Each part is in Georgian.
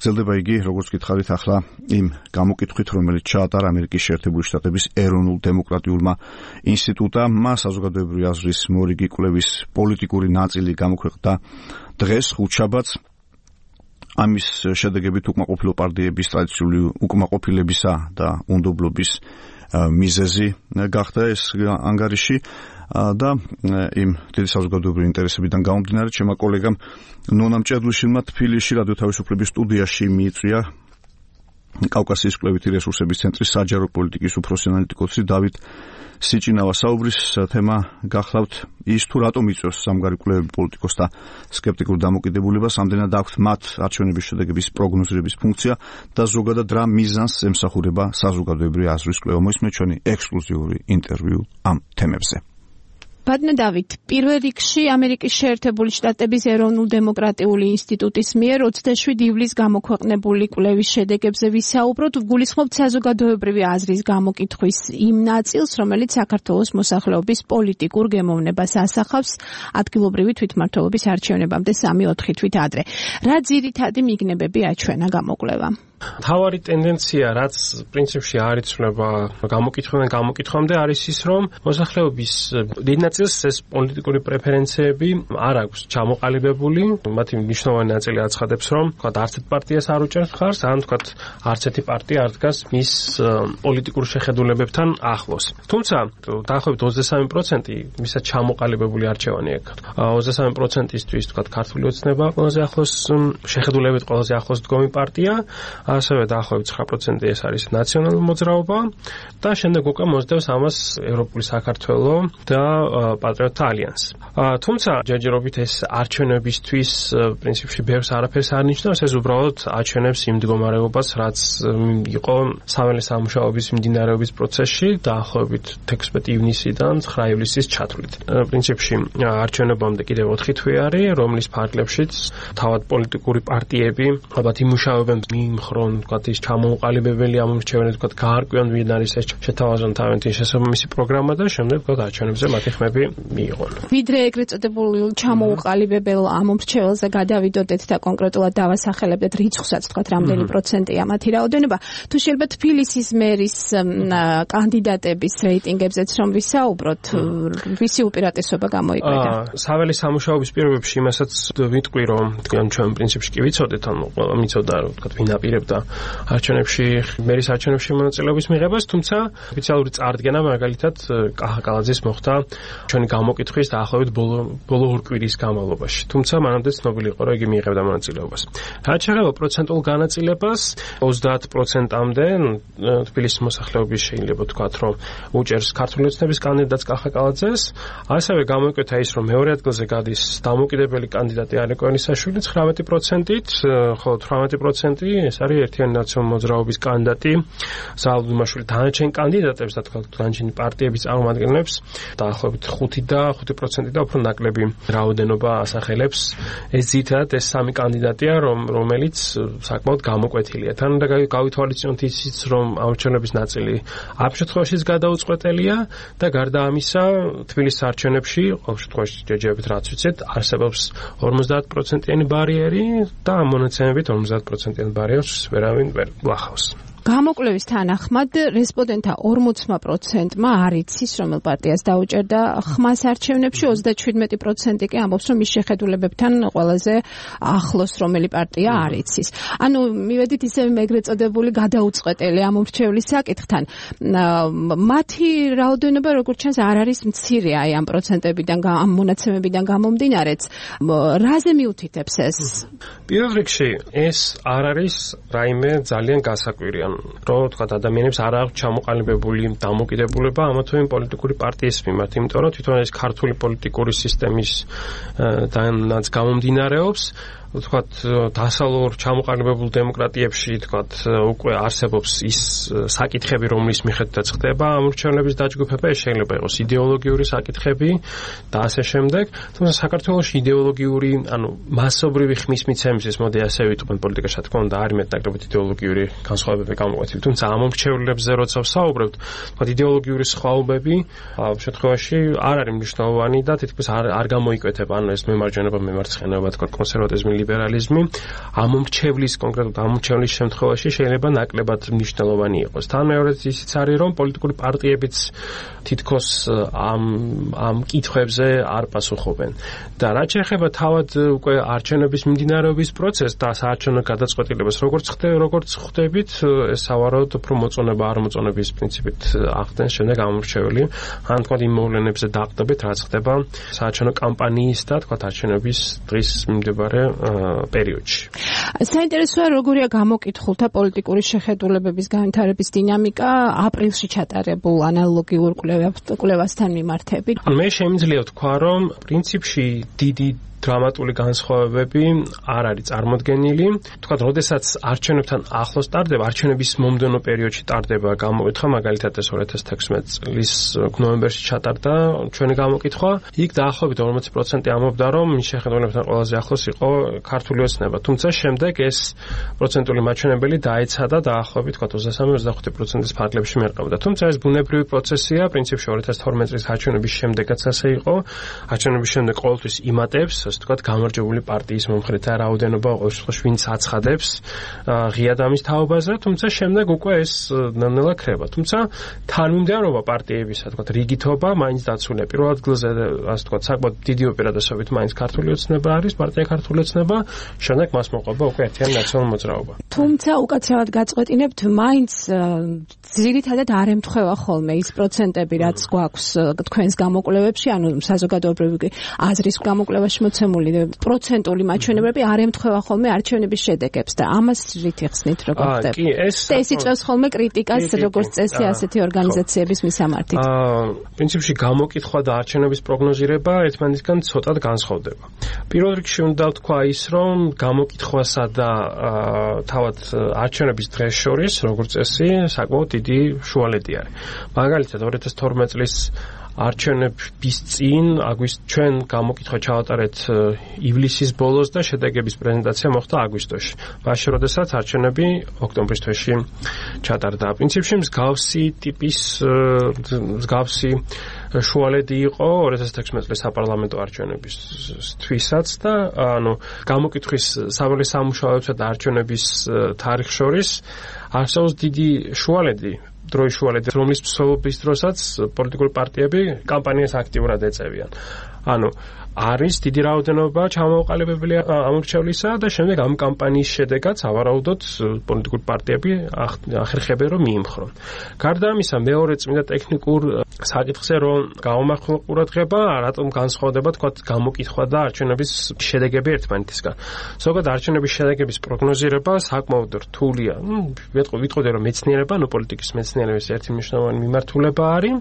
გრძელდება იგი, როგორც გითხარით ახლა იმ გამოკითხვით, რომელიც ჩაატარა ამერიკის შეერთებული შტატების ეროვნულ დემოკრატიულმა ინსტიტუტმა, საზოგადოებრივი აზრის მორიგი კვლევის პოლიტიკური ნაწილი გამოქვეყნდა დღეს ხუთშაბათს. ამის შედეგებით უკმაყოფილო პარტიების ტრადიციული უკმაყოფილებისა და უნდობლობის მიზეზი გახდა ეს ანგარიში და იმ დიდი საზოგადოებრივი ინტერესებიდან გამომდინარე, ჩემმა კოლეგამ ნონა მჭედლიშვილმა თბილისში რადიო თავისუფლების სტუდიაში მიიწვია კავკასიის კვლევითი რესურსების ცენტრის საჯარო პოლიტიკის უფროსი ანალიტიკოსი დავით სიჭინავა. საუბრის თემა გახლავთ ის, თუ რატომ იწვევს სამგარი კვლევები პოლიტიკოსთა სკეპტიკურ დამოკიდებულებას, ამდენად აქვთ მათ არჩევნების შედეგების პროგნოზირების ფუნქცია და ზოგადად რა მიზანს ემსახურება საზოგადოებრივი აზრის კვლევა. მოისმენთ ჩვენი ექსკლუზიური ინტერვიუ ამ თემებზე. ბატონო დავით, პირველ რიგში ამერიკის შეერთებული შტატების ეროვნულ დემოკრატიული ინსტიტუტის მიერ 27 ივლისს გამოქვეყნებული კვლევის შედეგებზე ვისაუბროთ. ვგულისხმობთ საზოგადოებრივი აზრის გამოკითხვის იმ ნაწილს, რომელიც საქართველოს მოსახლეობის პოლიტიკურ გემოვნებას ასახავს ადგილობრივი თვითმმართველობის არჩევნებამდე 3-4 თვით ადრე. რა ძირითადი მიგნებები აჩვენა გამოკვლევამ? თავარი ტენდენცია, რაც პრინციპში არ იცვლება გამოკითხვიდან გამოკითხვამდე, არის ის, რომ მოსახლეობის დიდ ნაწილს ეს პოლიტიკური პრეფერენციები არ აქვს ჩამოყალიბებული. მათი მნიშვნელოვანი ნაწილი აცხადებს, რომ არც ერთ პარტიას არ უჭერს მხარს, ან არც ერთი პარტია არ დგას მის პოლიტიკურ შეხედულებებთან ახლოს. თუმცა, დაახლოებით 23% ვისაც ჩამოყალიბებული არჩევანი აქვს. 23%-ისთვის ქართული ოცნება ყველაზე ახლოს შეხედულებით ყველაზე ახლოს დგომი პარტია. ასევე დაახლოებით 9% ეს არის ნაციონალური მოძრაობა და შემდეგ უკვე მოსდევს ამას ევროპული საქართველო და პატრიოტთა ალიანსი. თუმცა ჯერჯერობით ეს არჩევნებისთვის პრინციპში ბევრს არაფერს არ ნიშნავს, ეს უბრალოდ აჩვენებს იმ მდგომარეობას, რაც იყო საველე სამუშაოების მიმდინარეობის პროცესში დაახლოებით 16 ივნისიდან 9 ივლისის ჩათვლით. პრინციპში არჩევნებამდე კიდევ 4 თვე არის, რომლის ფარგლებშიც თავად პოლიტიკური პარტიები ალბათ იმუშავებენ ხრონ ის ჩამოუყალიბებელი ამორჩევენ გაარკვიონ ვინ არის ეს შეთავაზონ თავიანთი შესაბამისი პროგრამა და შემდეგ არჩევნებზე მათი ხმები მიიღონ. ვიდრე ეგრეთ წოდებულ ჩამოუყალიბებელ ამორჩეველზე გადავიდოდეთ და კონკრეტულად დავასახელებდეთ რიცხვსაც, თქვათ რამდენი პროცენტია მათი რაოდენობა, თუ შეიძლება თბილისის მერის კანდიდატების რეიტინგებზეც რომ ვისაუბროთ, ვისი უპირატესობა გამოიკვეთა? საველე სამუშაოების პირობებში იმასაც ვიტყვი, რომ ჩვენ პრინციპში კი ვიცოდეთ, ანუ მიცოდა თქვათ ვინ აპირებდა არჩევნებში მერის არჩევნებში მონაწილეობის მიღებას, თუმცა ოფიციალური წარდგენა მაგალითად კახა კალაძის მოხდა ჩვენი გამოკითხვის დაახლოებით ბოლო ორ კვირის განმავლობაში. თუმცა მანამდე ცნობილი იყო, რომ იგი მიიღებდა მონაწილეობას. რაც შეეხება პროცენტულ განაწილებას, 30%-მდე თბილისის მოსახლეობის შეიძლება ვთქვათ, რომ უჭერს ქართული ოცნების კანდიდატს კახა კალაძეს, ასევე გამოიკვეთა ის, რომ მეორე ადგილზე გადის დამოუკიდებელი კანდიდატი ალეკო ელისაშვილი 19%-ით, ხოლო 18% ეს არის ერთიანი ნაციონალური მოძრაობის კანდიდატი ზალ დუმაშვილი. დანარჩენ კანდიდატებს და დანარჩენი პარტიების წარმომადგენლებს დაახლოებით 5% და უფრო ნაკლები რაოდენობა ასახელებს. ეს ძირითადად ეს სამი კანდიდატია, რომელიც საკმაოდ გამოკვეთილია. თან და გავითვალისწინოთ ისიც, რომ არჩევნების ნაწილი ამ შემთხვევაშიც გადაუწყვეტელია და გარდა ამისა თბილისის არჩევნებში ყოველ შემთხვევაში ჯერჯერობით რაც ვიცით, არსებობს 50%-იანი ბარიერი და ამ მონაცემებით 50%-იანი ბარიერს ვერავინ ვერ გლახავს. გამოკვლევის თანახმად რესპონდენტთა 40%-მა არ იცის, რომელ პარტიას დაუჭერდა ხმას არჩევნებში, 37% კი ამბობს, რომ ის შეხედულებებთან ყველაზე ახლოს რომელი პარტია არ იცის. ანუ მივედით ისევ ეგრეთ წოდებული გადაუწყვეტელი ამორჩევლის საკითხთან. მათი რაოდენობა როგორც ჩანს არ არის მცირე აი ამ პროცენტებიდან, ამ მონაცემებიდან გამომდინარეც. რაზე მიუთითებს ეს? პირველ რიგში ეს არ არის რაიმე ძალიან გასაკვირი. რომ თქვა ადამიანებს არ აქვს ჩამოყალიბებული დამოკიდებულება ამა თუ იმ პოლიტიკური პარტიის მიმართ, იმიტომ რომ თვითონ ეს ქართული პოლიტიკური სისტემის დანაც გამომდინარეობს. ვთქვათ, დასავლურ ჩამოყალიბებულ დემოკრატიებში, ვთქვათ, უკვე არსებობს ის საკითხები, რომლის მიხედვითაც ხდება ამორჩევლების დაჯგუფება, ეს შეიძლება იყოს იდეოლოგიური საკითხები და ასე შემდეგ. თუმცა საქართველოში იდეოლოგიური, ანუ მასობრივი ხმის მიცემისთვის, მოდი ასე ვიტყვენ, პოლიტიკაში რა თქმა უნდა არის მეტნაკლებად იდეოლოგიური განსხვავებები გამოკვეთილი. თუმცა ამორჩევლებზე როცა ვსაუბრობთ, ვთქვათ, იდეოლოგიური სხვაობები ამ შემთხვევაში არ არის მნიშვნელოვანი და თითქმის არ გამოიკვეთება, ანუ ეს მემარჯვენეობა, მემარცხენეობა, ვთქვათ, კონსერვატიზმი, ლიბერალიზმი ამომრჩევლის კონკრეტულად ამომრჩევლის შემთხვევაში შეიძლება ნაკლებად მნიშვნელოვანი იყოს. თან მეორედ ისიც არის, რომ პოლიტიკური პარტიებიც თითქოს ამ კითხვებზე არ პასუხობენ. და რაც შეეხება თავად უკვე არჩევნების მიმდინარეობის პროცესს და საარჩევნო გადაწყვეტილებას, როგორც ხვდებით, ეს სავარაუდოდ უფრო მოწონება არ მოწონების პრინციპით ახდენს შემდეგ ამომრჩეველი, ან თქვა იმ მოვლენებზე დაყრდნობით, რაც ხდება საარჩევნო კამპანიის და თქვა არჩევნების დღის მიმდებარე პერიოდში. საინტერესოა, როგორია გამოკითხულთა პოლიტიკური შეხედულებების განვითარების დინამიკა აპრილში ჩატარებულ ანალოგიურ კვლევასთან მიმართებით. მე შემიძლია ვთქვა, რომ პრინციპში დიდი დრამატული განსხვავებები არ არის წარმოდგენილი. თქვა, როდესაც არჩევნებთან ახლოს ტარდება, არჩევნების მომდევნო პერიოდში ტარდება გამოკითხვა, მაგალითად ეს 2016 წლის ნოემბერში ჩატარდა ჩვენი გამოკითხვა. იქ დაახლოებით 40% ამბობდა, რომ მის შეხედულებთან ყველაზე ახლოს იყო ქართული ოცნება. თუმცა შემდეგ ეს პროცენტული მაჩვენებელი დაეცადა დაახლოებით 23-25%-ის ფარგლებში მერყევდა. თუმცა ეს ბუნებრივი პროცესია, პრინციპში 2012 წლის არჩევნების შემდეგაც ასე იყო. არჩევნების შემდეგ ყოველთვის იმატებს ასე ვთქვათ, გამარჯვებული პარტიის მომხრეთა რაოდენობა, ყოველ შემთხვევაში ვინც აცხადებს ღია დამის თაობაზე, თუმცა შემდეგ უკვე ეს ნელ-ნელა ქრება. თუმცა თანმიმდევრობა პარტიებისა, ასე ვთქვათ, რიგითობა მაინც დაცულია. პირველ ადგილზე, ასე ვთქვათ, საკმაოდ დიდი უპირატესობით მაინც ქართული ოცნება არის, პარტია ქართული ოცნება, შემდეგ მას მოყვება უკვე ერთიანი ნაციონალური მოძრაობა. თუმცა უკაცრავად გაწყვეტინებთ, მაინც ძირითადად არ ემთხვევა ხოლმე ის პროცენტები, რაც გვაქვს თქვენს გამოკვლევებში, ანუ საზოგადოებრივი აზრის გამოკვლევაში მოცემული პროცენტული მაჩვენებლები არ ემთხვევა ხოლმე არჩევნების შედეგებს და ამას რით იხსნით, როგორ ხდება? ეს იწვევს ხოლმე კრიტიკას როგორც წესი ასეთი ორგანიზაციების მისამართით. პრინციპში გამოკითხვა და არჩევნების პროგნოზირება ერთმანეთისგან ცოტად განსხვავდება. პირველ რიგში უნდა ვთქვა ის, რომ გამოკითხვასა და თავად არჩევნების დღეს შორის, როგორც წესი, საკმაოდ დიდი შუალედი არის. მაგალითად 2012 წლის არჩევნების წინ ჩვენ გამოკითხვა ჩავატარეთ ივლისის ბოლოს და შედეგების პრეზენტაცია მოხდა აგვისტოში. მაშინ, როდესაც არჩევნები ოქტომბრის თვეში ჩატარდა. პრინციპში მსგავსი ტიპის მსგავსი შუალედი იყო 2016 წლის საპარლამენტო არჩევნებისთვისაც და ანუ გამოკითხვის საველე სამუშაოებსა და არჩევნების თარიღ შორის არსებობს დიდი შუალედი, დროის შუალედი, რომლის მსვლელობის დროსაც პოლიტიკური პარტიები კამპანიას აქტიურად ეწევიან. ანუ არის დიდი რაოდენობა ჩამოყალიბებული ამორჩევლისა და შემდეგ ამ კამპანიის შედეგად სავარაუდოდ პოლიტიკური პარტიები ახერხებენ რომ მიიმხრონ. გარდა ამისა, მეორე წმინდა ტექნიკურ საკითხზე რომ გამომახვილ ყურადღება, რატომ განსხვავდება თქვა გამოკითხვა და არჩევნების შედეგები ერთმანეთისგან. ზოგადად არჩევნების შედეგების პროგნოზირება საკმაოდ რთულია. ვიტყოდი რომ მეცნიერება, პოლიტიკის მეცნიერების ერთი მნიშვნელოვანი მიმართულება არის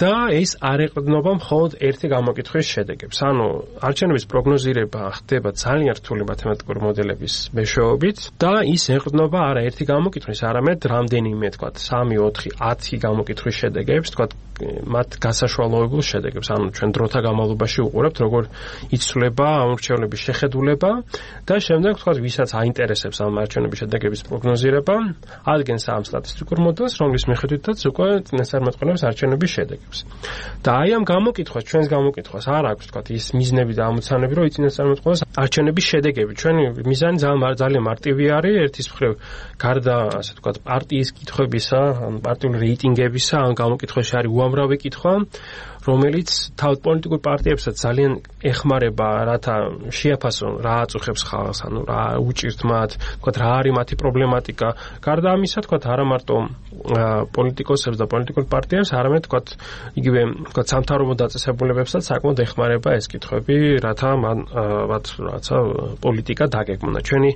და ეს არ ეყრდნობა მხოლოდ ერთი გამოკითხვის შედეგებს. ანუ არჩევნების პროგნოზირება ხდება ძალიან რთული მათემატიკური მოდელების მეშვეობით და ის ეყრდნობა არა ერთი გამოკითხვის, არამედ რამდენიმე, თქვათ, 3, 4, 10 გამოკითხვის შედეგებს, თქვათ, მათ გასაშვალოებულ შედეგებს. ანუ ჩვენ დროთა განმავლობაში უყურებთ, როგორ იცვლება ამორჩევლების შეხედულება და შემდეგ, თქვათ, ვისაც აინტერესებს ამ არჩევნების შედეგების პროგნოზირება, ადგენს ამ სტატისტიკურ მოდელს, რომლის მიხედვითაც უკვე წინასწარმეტყველებს არჩევნების შედეგებს. და აი ამ გამოკითხვას, ჩვენს გამოკითხვას არ აქვს, თქვათ, ის მიზნები და ამოცანები, რომ იწინასწარმეტყველოს არჩევნების შედეგები. ჩვენი მიზანი ძალიან მარტივი არის, ერთის მხრივ გარდა, ასე ვთქვათ, პარტიის კითხვებისა, პარტიული რეიტინგებისა, ამ გამოკითხვაში არის უამრავი კითხვა, რომელიც თავად პოლიტიკურ პარტიებსაც ძალიან ეხმარება, რათა შეაფასონ რა აწუხებს ხალხს, ანუ რა უჭირთ მათ, თქვათ, რა არის მათი პრობლემატიკა. გარდა ამისა, თქვათ, არა მარტო პოლიტიკოსებს და პოლიტიკურ პარტიებს, არამედ, თქვათ, იგივე, თქვათ, სამთავრობო დაწესებულებებსაც საკმაოდ ეხმარება ეს კითხვები, რათა მათ რაცა პოლიტიკა დაგეგმონ. ჩვენი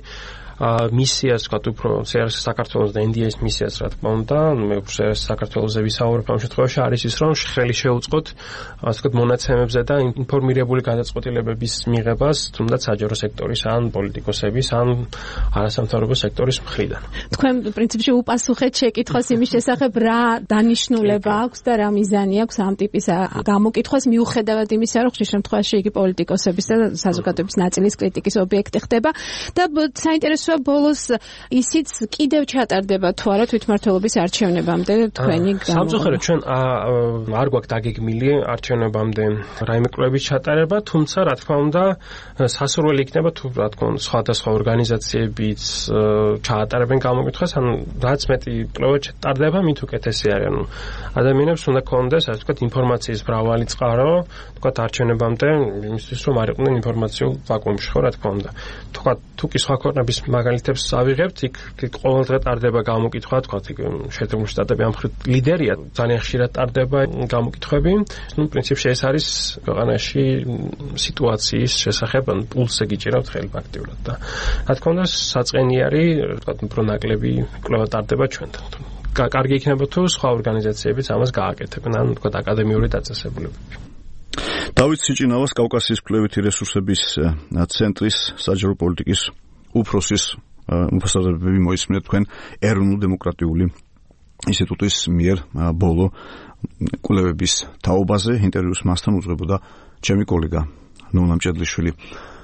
მისიას, თქვათ, უფრო საქართველოს და NDS მისიას, რა თქმა უნდა, მე უფრო საქართველოზე ვისაუბრებ ამ შემთხვევაში, არის ის, რომ ხელი შეუწყოთ, ასე ვთქვათ, მონაცემებზე და ინფორმირებული გადაწყვეტილებების მიღებას, თუნდაც საჯარო სექტორის ან პოლიტიკოსების ან არასამთავრობო სექტორის მხრიდან. თქვენ პრინციპში უპასუხეთ შეკითხვას იმის შესახებ, რა დანიშნულება აქვს და რა მიზანი აქვს ამ ტიპის გამოკითხვას, მიუხედავად იმისა, რომ ხშირ შემთხვევაში იგი პოლიტიკოსების და საზოგადოების ნაწილის კრიტიკის ობიექტი ხდება და საინტერესო გასვა ბოლოს ისიც კიდევ ჩატარდება თუ არა თვითმმართველობის არჩევნებამდე თქვენი სამწუხაროდ ჩვენ არ გვაქვს დაგეგმილი არჩევნებამდე რაიმე კვლევის ჩატარება, თუმცა რა თქმა უნდა სასურველი იქნება თუ რა თქმა უნდა სხვადასხვა ორგანიზაციებიც ჩაატარებენ გამოკითხვას, ან რაც მეტი კვლევა ჩატარდება, მით უკეთესი არის. ანუ ადამიანებს უნდა კონდეს, ასე ვთქვათ, ინფორმაციის მრავალი წყარო, ვთქვათ არჩევნებამდე, იმისთვის რომ არ იყვნენ ინფორმაციულ ვაკუუმში, ხო რა თქმა უნდა. თუ კი სხვა ქვეყნების მაგალითებს ავიღებთ, იქ ყოველ დღე ტარდება გამოკითხვა, ვთქვათ, იქ შეერთებული შტატები ამ მხრივ ლიდერია, ძალიან ხშირად ტარდება გამოკითხვები. ნუ პრინციპში ეს არის ქვეყანაში სიტუაციის შესახებ, ან პულსზე გიჭირავთ ხელი აქტიურად და რა თქმა უნდა საწყენი არის, ვთქვათ, უფრო ნაკლები კვლევა ტარდება ჩვენთან. კარგი იქნება თუ სხვა ორგანიზაციებიც ამას გააკეთებენ, ან ვთქვათ აკადემიური დაწესებულებები. დავით სიჭინავას კავკასიის კვლევითი რესურსების ცენტრის საჯარო პოლიტიკის უფროსის უფროსადები მოისმინეთ თქვენ ეროვნულ-დემოკრატიული ინსტიტუტის მიერ ბოლო კვლევების თაობაზე. ინტერვიუს მასთან უძღვებოდა ჩემი კოლეგა ნონა მჭედლიშვილი.